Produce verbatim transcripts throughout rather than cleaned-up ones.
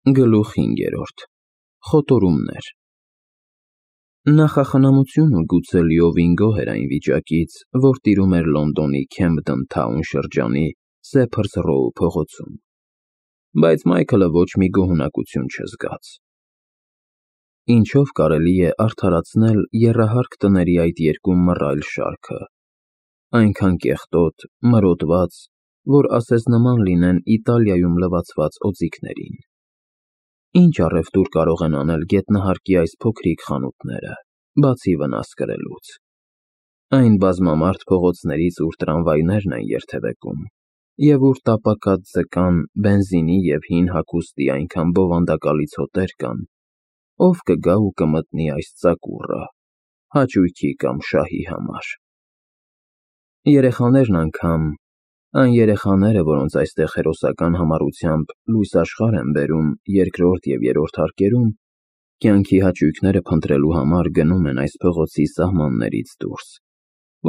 Գլուխ հինգերորդ Խոտորումներ Նախախնամությունը գուցե լիովին գոհ էր այն վիճակից, որ տիրում էր Լոնդոնի Քեմփդեն Թաուն շրջանի Սեփրս Ռոու փողոցում, բայց Մայքլը ոչ մի գոհունակություն չզգաց։ Ինչո՞վ կարելի է արդարացնել եռահարկ տների այդ երկու մռայլ շարքը, այնքան կեղտոտ, մրոտված, որ ասես նման լինեն Իտալիայում լվացված օձիքներին։ Ինչ առևտուր կարող են անել գետնահարկի այս փոքրիկ խանութները, բացի վնաս կրելուց։ Այն բազմամարդ փողոցներից, ուր տրամվայներն են երթևեկում, և ուր տապակած ձկան, բենզինի և հին հագուստի այնքան բովանդակալից հոտեր կան, ով կգա ու կմտնի այս ծակուռը, հաճույքի կամ շահի համար։ Երեխաներն անգամ, այն երեխաները, որոնց այստեղ հերոսական համառությամբ լույս աշխարհ են բերում երկրորդ և երրորդ հարկերում, կյանքի հաճույքները փնտրելու համար գնում են այս փողոցի սահմաններից դուրս,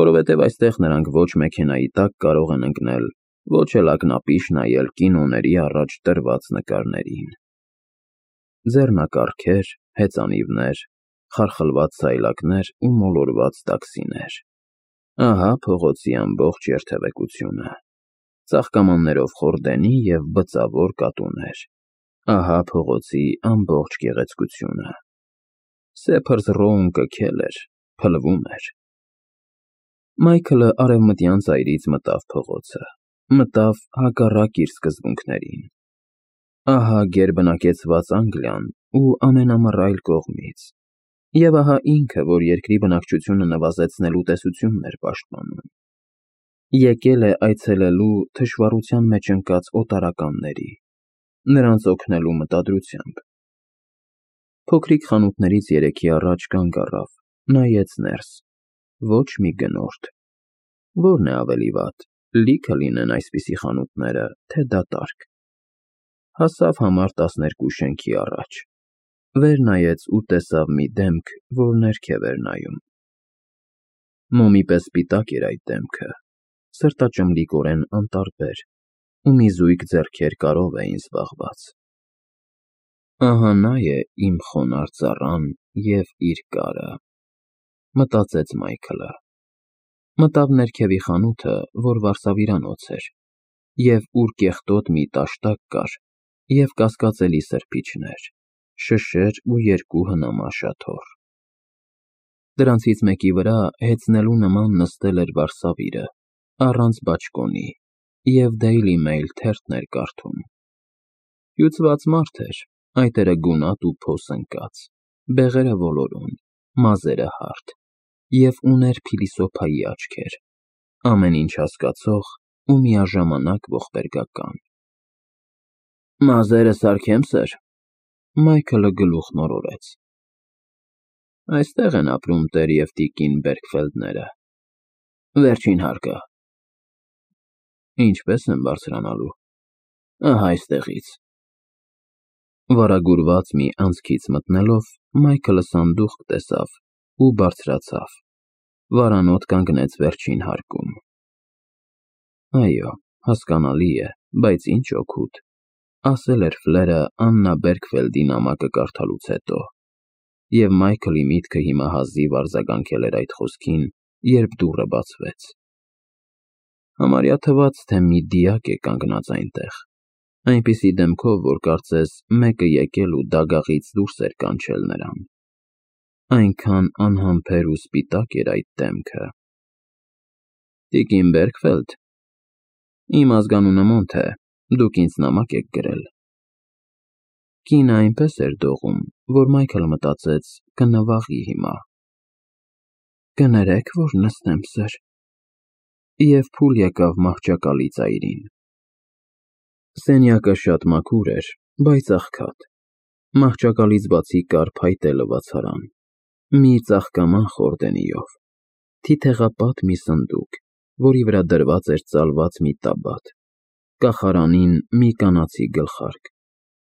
որովհետև այստեղ նրանք ոչ մեքենայի տակ կարող են ընկնել, ոչ էլ ակնապիշ նայել կինոների առաջ տրված նկարներին։ Ձեռնակառքեր, հեծանիվներ, խարխլված սայլակներ ու մոլորված տաքսիներ։ Ահա փողոցի ամբողջ երթևեկությունը։ Ծաղկամաններով խորդենի և բծավոր կատուներ։ Ահա փողոցի ամբողջ գեղեցկությունը։ Սեփրս Ռոուն կքել էր, փլվում էր։ Մայքլը արևմտյան ծայրից մտավ փողոցը, մտավ հակառակ իր սկզբունքներին։ Ահա գերբնակեցված Անգլիան ու ամենամռայլ կողմից, և ահա ինքը, որ երկրի բնակչությունը նվազեցնելու տեսությունն էր պաշտպանում։ Եկել է այցելելու թշվառության մեջ ընկած օտարականների, նրանց օգնելու մտադրությամբ։ Փոքրիկ խանութներից երեքի առաջ կանգ առավ, նայեց ներս։ Ոչ մի գնորդ։ Ո՞րն է ավելի վատ, լիքը լինեն այսպիսի խանութները, թե դատարկ։ Հասավ համար տասներկու շենքի առաջ, վեր նայեց ու տեսավ մի դեմք, որ ներքև էր նայում։ Մոմի պես սպիտակ էր այդ դեմքը, սրտաճմլիկորեն անտարբեր, ու մի զույգ ձեռքեր կարով էին զբաղված։ Ահա նա է իմ խոնարհ ծառան և իր կարը, մտածեց Մայքլը։ Մտավ ներքևի խանութը, որ վարսավիրանոց էր, և ուր կեղտոտ մի տաշտակ կար, և կասկածելի սրբիչներ, շշեր ու երկու հնամաշ աթոռ։ Դրանցից մեկի վրա հեծնելու նման նստել էր վարսավիրը, առանց բաճկոնի, և Daily Mail թերթն էր կարդում։ Հյուծված մարդ էր, այտերը գունատ ու փոս ընկած, բեղերը ոլորուն, մազերը հարթ, և ուներ փիլիսոփայի աչքեր, ամեն ինչ հասկացող ու միաժամանակ ողբերգական։ Մազերը սարքե՞մ, սըր։ Մայքլը գլուխն օրորեց։ Այստեղ են ապրում տեր և տիկին Բերքֆելդները։ Վերջին հարկը։ Ինչպե՞ս եմ բարձրանալու։ Ահա այստեղից։ Վարագուրված մի անցքից մտնելով, Մայքլը սանդուղք տեսավ ու բարձրացավ, վարանոտ կանգնեց վերջին հարկում։ Այո, հասկանալի է, բայց ինչ օգուտ, ասել էր Ֆլերը Աննա Բերքֆելդի նամակը կարդալուց հետո, և Մայքլի միտքը հիմա հազիվ արձագանքել էր այդ խոսքին, երբ դուռը բացվեց։ Համարյա թվաց, թե մի դիակ է կանգնած այնտեղ, այնպիսի դեմքով, որ կարծես մեկը եկել ու դագաղից դուրս էր կանչել նրան։ Այնքան անհամբեր ու սպիտակ էր այդ դեմքը։ Տիկին Բերքֆելդ։ Իմ ազգանունը Մոնթ է, դուք ինձ նամակ եք գրել։ Կինը այնպես էր դողում, որ Մայքլը մտածեց կնվաղի հիմա։ Կներեք, որ նստեմ, սըր։ Եվ փուլ եկավ մահճակալի ծայրին։ Սենյակը շատ մաքուր էր, բայց աղքատ։ Մահճակալից բացի կար փայտե լվացարան, մի ծաղկաման խորդենիով, թիթեղապատ մի սնդուկ, որի վրա դրված էր ծալված մի տաբատ, կախարանին մի կանացի գլխարկ,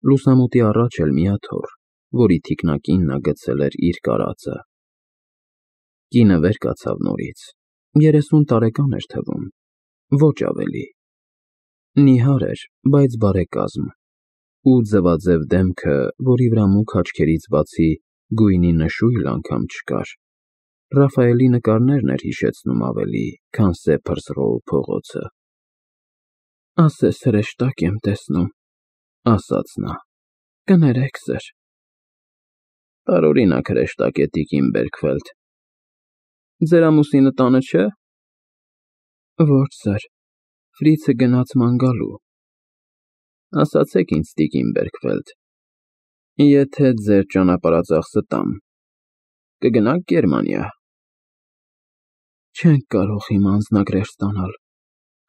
լուսամուտի առաջ էլ մի աթոռ, որի թիկնակին նա գցել էր իր կարածը։ Կինը վեր կացավ նորից, երեսուն տարեկան էր թվում, ոչ ավելի։ Նիհար էր, բայց բարեկազմ, ու ձվաձև դեմքը, որի վրա մուգ աչքերից բացի գույնի նշույլ անգամ չկար, Ռաֆայելի նկարներն էր հիշեցնում ավելի, քան Սեփրսռոու փողոցը։ «Ասես հրեշտակ եմ տեսնում», ասաց նա, «կներեք, սըր»։ «Տարօրինակ հրեշտակ է, տիկին Բերքվելդ։ Ձեր ամուսինը տանը չէ՞։ Ոչ, սըր, Ֆրիցը գնաց ման գալու։ Ասացեք ինձ, տիկին Բերքվելդ, եթե ձեր ճանապարհածախսը տամ, կգնա՞ք Գերմանիա։ Չենք կարող հիմա անձնագրեր ստանալ։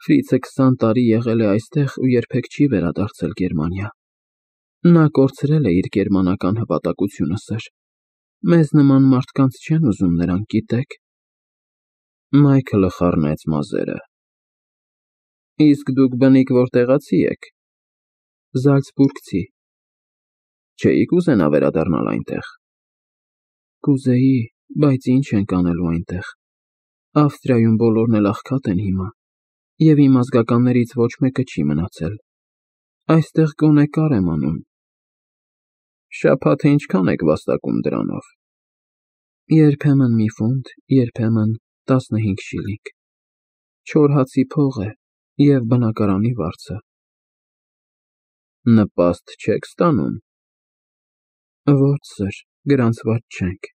Ֆրիցը քսան տարի եղել է այստեղ ու երբեք չի վերադարձել Գերմանիա։ Նա կորցրել է իր գերմանական հպատակությունը, սըր։ Մեզ նման մարդկանց չեն ուզում նրանք, գիտեք։ Մայքլը խառնեց մազերը։ Իսկ դուք բնիկ որտեղացի եք։ Զալցբուրգցի։ Չէի՞ք ուզենա վերադառնալ այնտեղ։ Կուզեի, բայց ինչ ենք անելու այնտեղ։ Ավստրիայում բոլորն էլ աղքատ են հիմա, և իմ ազգականներից ոչ մեկը չի մնացել։ Այստեղ գոնե կար եմ անում։ Շաբաթը ինչքան եք վաստակում դրանով։ Երբեմն մի ֆունտ, երբեմն տասնհինգ շիլինգ։ Չոր հացի փող է և բնակարանի վարձը։ Նպաստ չեք ստանում։ Ոչ, սըր, գրանցված չենք։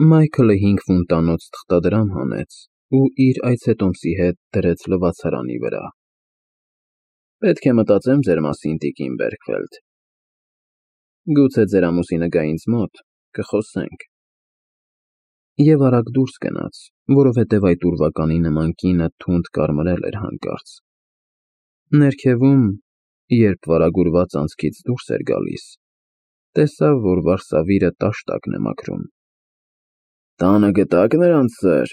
Մայքլը հինգ ֆունտանոց թղթադրամ հանեց ու իր այցետոմսի հետ դրեց լվացարանի վրա։ Պետք է մտածեմ ձեր մասին, տիկին Բերքվելդ։ Գուցե ձեր ամուսինը գա ինձ մոտ, կխոսենք։ Եվ արագ դուրս գնաց, որովհետև այդ ուրվականի նման կինը թունդ կարմրել էր հանկարծ։ Ներքևում, երբ վարագուրված անցքից դուրս էր գալիս, տեսավ, որ վարսավիրը տաշտակն է մաքրում։ Տանը գտա՞ք նրանց, սըր։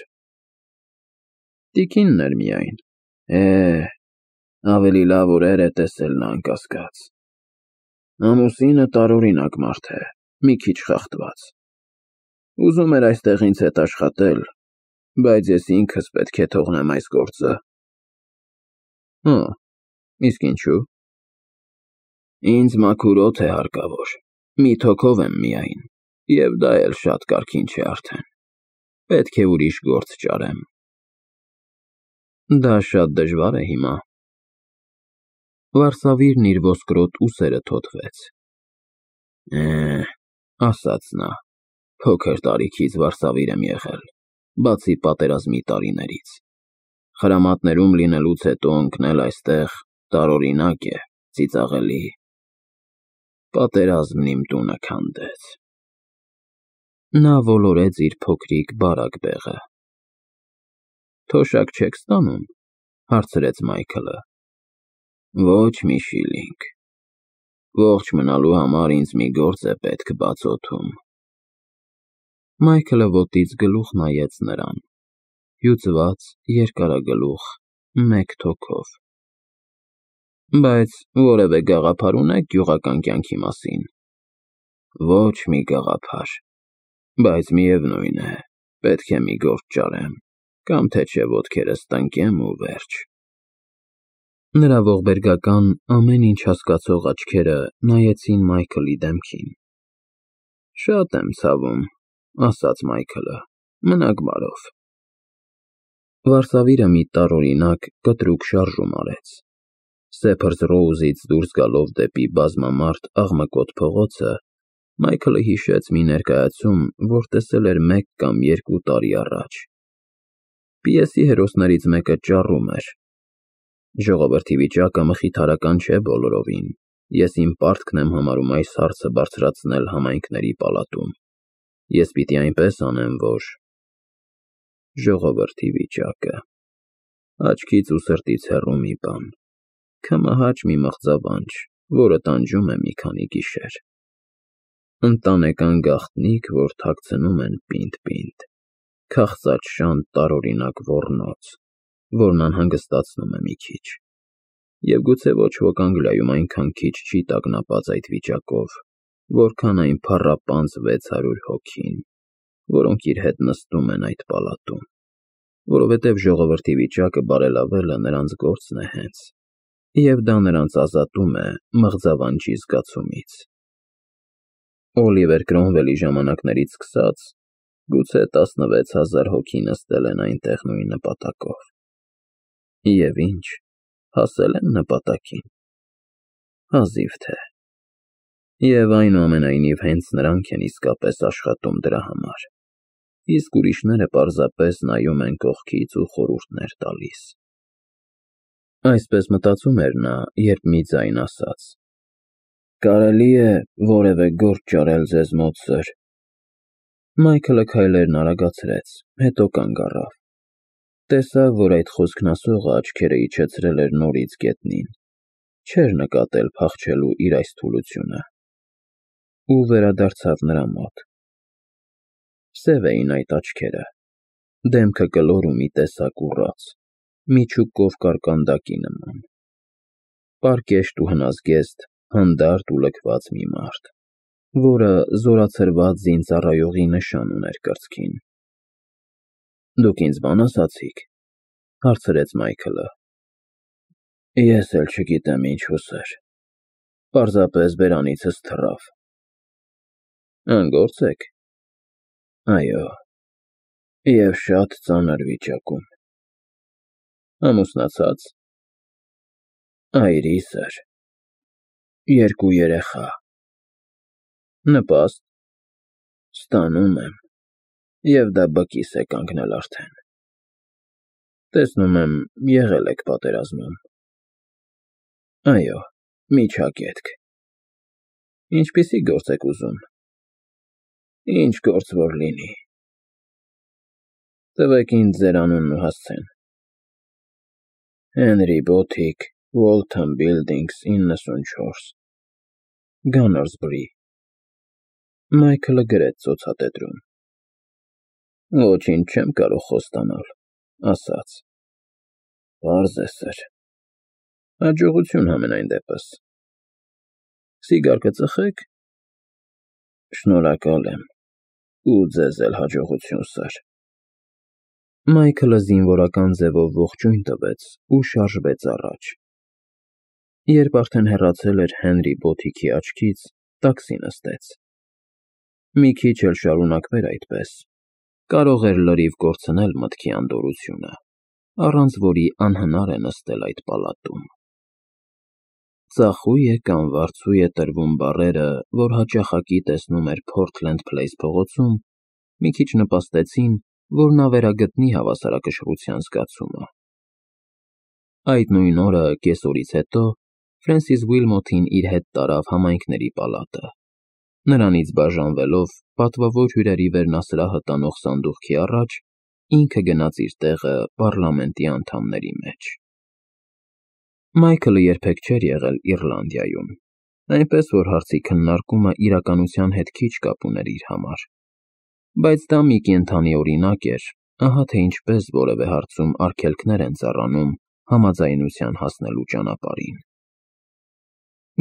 Տիկինն էր միայն։ Է, ավելի լավ օրեր է տեսել նա, անկասկած։ Ամուսինը տարօրինակ մարդ է, մի քիչ խախտված։ Ուզում էր այստեղ ինձ հետ աշխատել, բայց ես ինքս պետք է թողնեմ այս գործը։ Հո, իսկ ինչու։ Ինձ մաքուր օդ է հարկավոր, մութ հոգով եմ միայն, և դա էլ շատ կարգին չէ արդեն։ Պետք է ուրիշ գործ ճարեմ։ Դա շատ դժվար է հիմա։ Վարսավիրն իր ոսկրոտ ուսերը թոթվեց։ Է, ասաց նա, փոքր տարիքից վարսավիր եմ եղել, բացի պատերազմի տարիներից։ Խրամատներում լինելուց հետո ընկնել այստեղ տարօրինակ է, ծիծաղելի։ Պատերազմն իմ տունը քանդեց։ Նա ոլորեց իր փոքրիկ բարակ բեղը։ Թոշակ չեք ստանում, հարցրեց Մայքլը։ Ոչ մի շիլինգ։ Ողջ մնալու համար ինձ մի գործ է պետք բացօթում։ Մայքլը ոտից գլուխ նայեց նրան, հյուծված, երկարագլուխ, մեկ թոքով։ Բայց որևէ գաղափար ունե՞ք գյուղական կյանքի մասին։ Ոչ մի գաղափար, բայց միևնույն է, պետք է մի գործ ճարեմ, կամ թե չէ ոտքերս տնկեմ ու վերջ։ Նրա ողբերգական, ամեն ինչ հասկացող աչքերը նայեցին Մայքլի դեմքին։ Շատ եմ ցավում, ասաց Մայքլը, մնաք բարով։ Վարսավիրը մի տարօրինակ, կտրուկ շարժում արեց։ Սեփրսռոուզից դուրս գալով դեպի բազմամարդ աղմկոտ փողոցը, Մայքլը հիշեց մի ներկայացում, որ տեսել էր մեկ կամ երկու տարի առաջ։ Պիեսի հերոսներից մեկը ճառում էր. Ժողովրդի վիճակը մխիթարական չէ բոլորովին, ես իմ պարտքն եմ համարում այս հարցը բարձրացնել համայնքների պալատում։ Ես պիտի այնպես անեմ, որ… Ժողովրդի վիճակը… Աչքից ու սրտից հեռու մի բան, քմահաճ մի մղձավանջ, որը տանջում է մի քանի գիշեր։ Ընտանեկան գաղտնիք, որ թաքցնում են պինդ-պինդ, քաղցած շան տարօրինակ ոռնոց, որն անհանգստացնում է մի քիչ։ Եվ գուցե ոչ ոք Անգլիայում այնքան քիչ չի տագնապած այդ վիճակով, որքան այն փառապանծ վեց հարյուր հոգին, որոնք իր հետ նստում են այդ պալատում, որովհետև ժողովրդի վիճակը բարելավելը նրանց գործն է հենց։ և դա նրանց ազատում է մղձավանջի զգացումից։ Օլիվեր Քրոմվելի ժամանակներից սկսած, գուցե տասնվեց հազար հոգի նստել են այնտեղ նույն նպատակով։ Եվ ինչ, հասել են նպատակին։ Հազիվ թե։ Եվ այնուամենայնիվ հենց նրանք են իսկապես աշխատում դրա համար, իսկ ուրիշները պարզապես նայում են կողքից ու խորհուրդներ տալիս։ Այսպես մտածում էր նա, երբ մի ձայն ասաց. «Կարելի է որևէ գործ ճարել ձեզ մոտ, սըր»։ Մայքլը քայլերն արագացրեց, հետո կանգ առավ։ Տեսավ, որ այդ խոսքն ասողը աչքերը իջեցրել էր նորից գետնին, չէր նկատել փախչելու իր այս թուլությունը, ու վերադարձավ նրա մոտ։ Սև էին այդ աչքերը, դեմքը կլոր ու մի տեսակ ուռած, միջուկ կովկար կանդակի նման։ Պարկեշտ ու հնազգեստ, հանդարտ ու լքված մի մարդ, որը զորացրված զինծառայողի նշան ուներ կրծքին։ «Դուք ինձ բան ասացի՞ք», հարցրեց Մայքլը։ «Ես էլ չգիտեմ ինչու, սըր, պարզապես բերանիցս թռավ»։ «Անգործ եք»։ «Այո, և շատ ծանր վիճակում»։ «Ամուսնացա՞ծ»։ «Այրի, սըր, երկու երեխա»։ «Նպաստ»։ «Ստանում եմ, և դա բկիս է կանգնել արդեն»։ «Տեսնում եմ, եղել եք պատերազմում»։ «Այո, միջակետք»։ «Ինչպիսի՞ գործ եք ուզում»։ «Ինչ գործ որ լինի»։ «Տվեք ինձ ձեր անունն ու հասցեն»։ «Հենրի Բոթիկ, Ուոլթոն Բիլդինգս, իննսունչորս, Գանորսբրի»։ Մայքլը գրեց ցուցատետրում։ «Ոչինչ չեմ կարող խոստանալ», ասաց։ «Պարզ է, սըր»։ «Հաջողություն համենայն դեպս»։ «Սիգար կծխե՞ք»։ «Շնորհակալ եմ, ու ձեզ էլ հաջողություն, սըր»։ Մայքլը զինվորական ձևով ողջույն տվեց ու շարժվեց առաջ։ Երբ արդեն հեռացել էր Հենրի Բոթիքի աչքից, տաքսի նստեց։ Մի քիչ էլ շարունակվեր այդպես, կարող էր լրիվ կորցնել մտքի անդորրությունը, առանց որի անհնար է նստել այդ պալատում։ Ծախույ է կամ վարձույ է տրվում բառերը, որ հաճախակի տեսնում էր Փորթլենդ Փլեյս փողոցում, մի քիչ նպաստեցին, որ նա վերագտնի հավասարակշռության զգացումը։ Այդ նույն օրը, կեսօրից հետո, Ֆրենսիս Ուիլմոթին իր հետ տարավ համայնքների պալատը, նրանից բաժանվելով պատվավոր հյուրերի վերնասրահը տանող սանդուղքի առաջ, ինքը գնաց իր տեղը պառլամենտի անդամների մեջ։ Մայքլը երբեք չէր եղել Իռլանդիայում, այնպես որ հարցի քննարկումը իրականության հետ քիչ կապ ուներ իր համար, բայց դա մի կենդանի օրինակ էր, ահա թե ինչպես որևէ հարցում արգելքներ են ծառանում համաձայնության հասնելու ճանապարհին։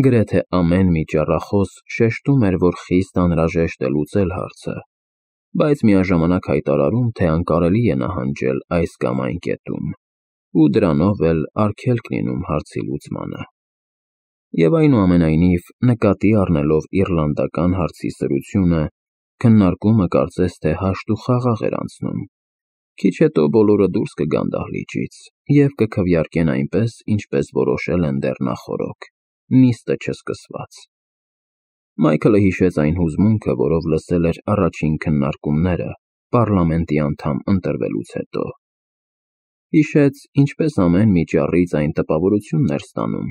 Գրեթե ամեն մի ճառախոս շեշտում էր, որ խիստ անհրաժեշտ է լուծել հարցը, բայց միաժամանակ հայտարարում, թե անկարելի է նահանջել այս կամ այն կետում, ու դրանով էլ արգելք լինում հարցի լուծմանը։ Եվ այնուամենայնիվ, նկատի առնելով իռլանդական հարցի սրությունը, քննարկումը կարծես թե հաշտ ու խաղաղ էր անցնում։ Քիչ հետո բոլորը դուրս կգան դահլիճից և կքվեարկեն այնպես, ինչպես որոշել են դեռ նախօրոք, նիստը չսկսված։ Մայքլը հիշեց այն հուզմունքը, որով լսել էր առաջին քննարկումները պառլամենտի անդամ ընտրվելուց հետո։ Հիշեց, ինչպես ամեն մի ճառից այն տպավորությունն էր ստանում,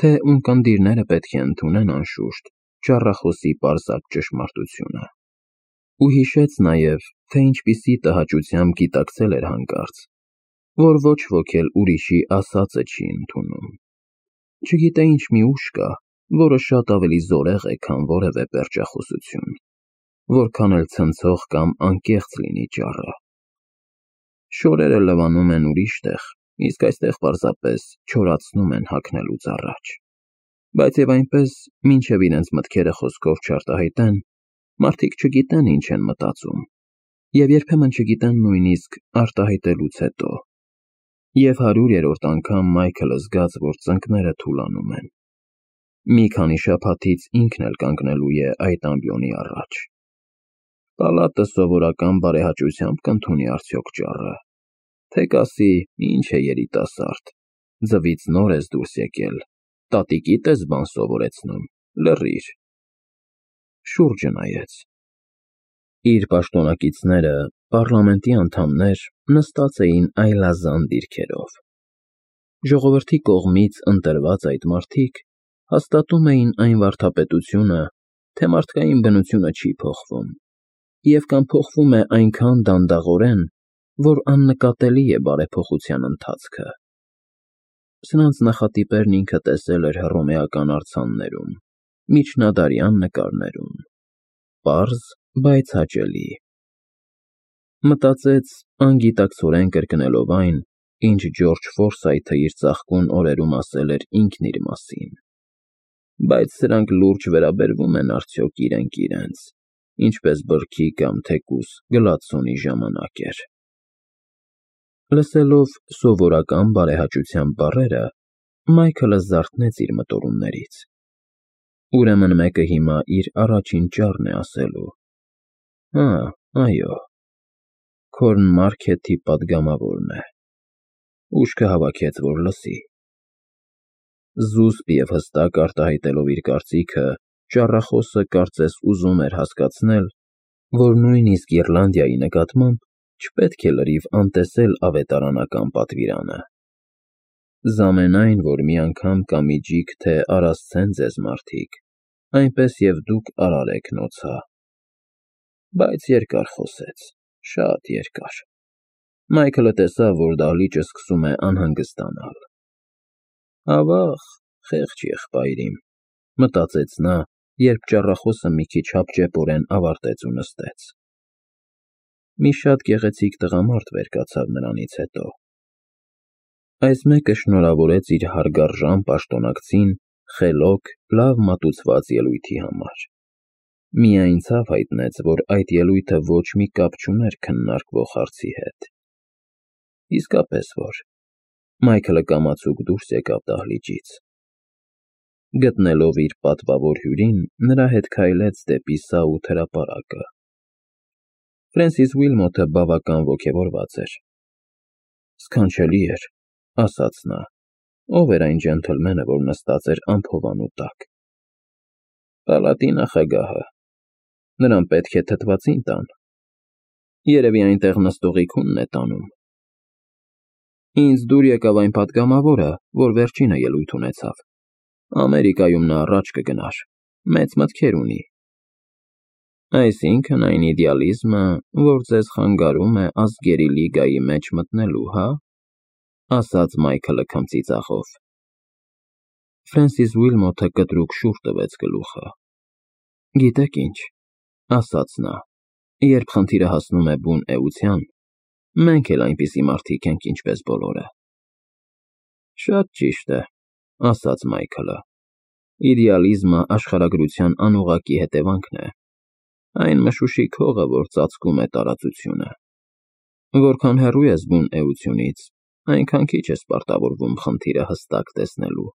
թե ունկնդիրները պետք է ընդունեն անշուշտ ճառախոսի պարզակ ճշմարտությունը։ Ու հիշեց նաև, թե ինչպիսի տհաճությամբ գիտակցել էր հանկարծ, որ ոչ ոք էլ ուրիշի ասածը չի ընդունում։ Չգիտե ինչ մի ուժ կա, որը շատ ավելի զորեղ է, քան որևէ պերճախոսություն, որքան էլ ցնցող կամ անկեղծ լինի ճառը։ Շորերը լվանում են ուրիշ տեղ, իսկ այստեղ պարզապես չորացնում են հագնելուց առաջ։ Բայց և այնպես, մինչև իրենց մտքերը խոսքով չարտահայտեն, մարդիկ չգիտեն ինչ են մտածում, և երբեմն չգիտեն նույնիսկ արտահայտելուց հետո։ Եվ հարյուրերորդ անգամ Մայքլը զգաց, որ ծնկները թուլանում են։ Մի քանի շաբաթից ինքն էլ կանգնելու է այդ ամբիոնի առաջ։ Պալատը սովորական բարեհաճությամբ կընդունի արդյոք ճառը, թե կասի՝ ինչ է երիտասարդ, ձվից նոր ես դուրս եկել, տատիկիդ ես բան սովորեցնում, լռիր։ Շուրջը նայեց։ Իր պաշտոնակիցները, պառլամենտի անդամներ, նստած էին այլազան դիրքերով։ Ժողովրդի կողմից ընտրված այդ մարդիկ հաստատում էին այն վարդապետությունը, թե մարդկային բնությունը չի փոխվում, և կամ փոխվում է այնքան դանդաղորեն, որ աննկատելի է բարեփոխության ընթացքը։ Սրանց նախատիպերն ինքը տեսել էր հռոմեական արձաններում, միջնադարյան նկարներում, պարզ, բայց հաճելի։ Մտածեց, անգիտակցորեն կրկնելով այն, ինչ Ջորջ Ֆորսայթը իր ծաղկուն օրերում ասել էր ինքն իր մասին։ Բայց սրանք լուրջ վերաբերվում են արդյոք իրենք իրենց, ինչպես բրդի կամ թեկուզ գլադսոնի ժամանակ էր։ Լսելով սովորական բարեհաճության բառերը, Մայքլը զարթնեց իր մտորումներից։ Ուրեմն մեկը հիմա իր առաջին ճառն է ասելու։ Հա, այո, Քորն Մարքեթի պատգամավորն է։ Ուշքը հավաքեց, որ լսի։ Զուսպ և հստակ արտահայտելով իր կարծիքը, ճառախոսը կարծես ուզում էր հասկացնել, որ նույնիսկ Իռլանդիայի նկատմամբ չպետք է լրիվ անտեսել ավետարանական պատվիրանը։ Զամենայն, որ մի անգամ կամիջիք, թե արասցեն ձեզ մարդիկ, այնպես և դուք արարեք նոցա։ Բայց երկար խոսեց, շատ երկար։ Մայքլը տեսավ, որ դահլիճը սկսում է անհանգստանալ։ Ավաղ, խեղճ եղբայր իմ, մտածեց նա, երբ ճառախոսը մի քիչ հապճեպորեն ավարտեց ու նստեց։ Մի շատ գեղեցիկ տղամարդ վեր կացավ նրանից հետո։ Այս մեկը շնորհավորեց իր հարգարժան պաշտոնակցին խելոք, լավ մատուցված ելույթի համար։ Միայն ցավ հայտնեց, որ այդ ելույթը ոչ մի կապ չուներ քննարկվող հարցի հետ։ Իսկապես որ։ Մայքլը կամացուկ դուրս եկավ դահլիճից։ Գտնելով իր պատվավոր հյուրին, նրա հետ քայլեց դեպի սաութ հրապարակը։ Ֆրենսիս Ուիլմոթը բավական ոգևորված էր։ Սքանչելի էր, ասաց նա, ով էր այն ջենթլմենը, որ նստած էր ամփովանու տակ։ Պալատի նախագահը։ Նրան պետք է թթվածին տան։ Երևի այնտեղ նստողի քունն է տանում։ Ինձ դուր եկավ այն պատգամավորը, որ վերջինը ելույթ ունեցավ։ Ամերիկայում նա առաջ կգնար, մեծ մտքեր ունի։ Այսինքն այն իդեալիզմը, որ ձեզ խանգարում է ազգերի լիգայի մեջ մտնելու, հա՞, ասաց Մայքլը քմծիծաղով։ Ֆրենսիս Ուիլմոթը կտրուկ շուռ տվեց գլուխը։ Գիտեք ինչ, ասաց նա, երբ խնդիրը հասնում է բուն էության, մենք էլ այնպիսի մարդիկ ենք, ինչպես բոլորը։ Շատ ճիշտ է, ասաց Մայքլը։ Իդեալիզմը աշխարհագրության անուղղակի հետևանքն է։ Այն մշուշիկ հողը, որ ծածկում է տարածությունը։ Որքան հեռու ես բուն էությունից, այնքան քիչ ես պարտավորվում խնդիրը հստակ տեսնելու։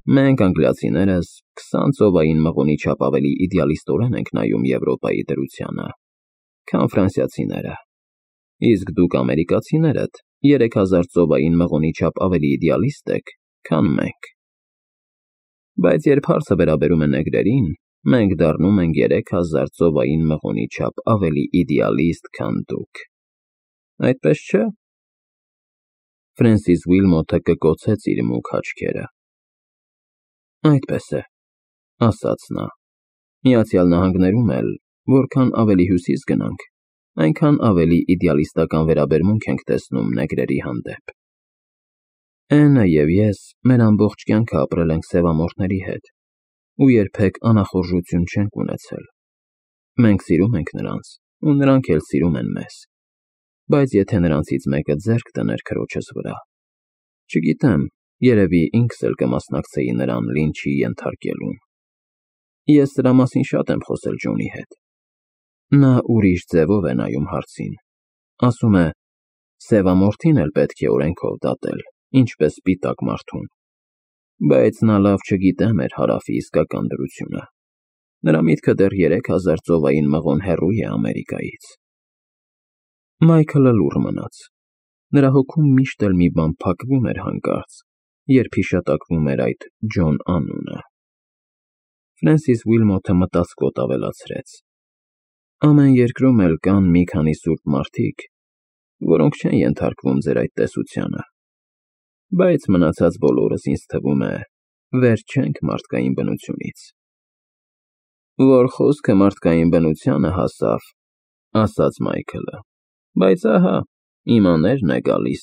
Մենք անգլիացիներս քսան ծովային մղոնի չափ ավելի իդեալիստորեն ենք նայում Եվրոպայի դրությանը, քան ֆրանսիացիները, իսկ դուք ամերիկացիներդ երեք հազար ծովային մղոնի չափ ավելի իդեալիստ եք, քան մենք։ Բայց երբ հարցը վերաբերում է նեգրերին, մենք դառնում ենք երեք հազար ծովային մղոնի չափ ավելի իդեալիստ, քան դուք։ Այդպես չէ՞։ Ֆրենսիս Ուիլմոթը կկոցեց իր մուգ աչքերը։ Այդպես է, ասաց նա։ Միացյալ Նահանգներում էլ, որքան ավելի հյուսիս գնանք, այնքան ավելի իդեալիստական վերաբերմունք ենք տեսնում նեգրերի հանդեպ։ Էնը և ես մեր ամբողջ կյանքը ապրել ենք սևամորթների հետ ու երբեք անախորժություն չենք ունեցել։ Մենք սիրում ենք նրանց, ու նրանք էլ սիրում են մեզ։ Բայց եթե նրանցից մեկը ձեռք դներ քրոջս վրա, չգիտեմ, երևի ինքս էլ կմասնակցեի նրան լինչի ենթարկելուն։ Ես սրա մասին շատ եմ խոսել Ջոնի հետ։ Նա ուրիշ ձևով է նայում հարցին։ Ասում է, Սևամորթին էլ պետք է օրենքով դատել, ինչպես սպիտակ մարդուն, բայց նա լավ չգիտե մեր Հարավի իսկական դրությունը։ Նրա միտքը դեռ երեք հազար ծովային մղոն հեռու է Ամերիկայից։ Մայքլը լուռ մնաց։ Նրա հոգում միշտ էլ մի բան փակվում էր հանկարծ, երբ հիշատակվում էր այդ Ջոն անունը։ Ֆրենսիս Ուիլմոթը մտածկոտ ավելացրեց. Ամեն երկրում էլ կան մի քանի սուրբ մարդիկ, որոնք չեն ենթարկվում ձեր այդ տեսությանը, բայց մնացած բոլորս, ինձ թվում է, վեր չենք մարդկային բնությունից։ Որ խոսքը մարդկային բնությանը հասավ, ասաց Մայքլը, բայց ահա, իմ աներն է գալիս։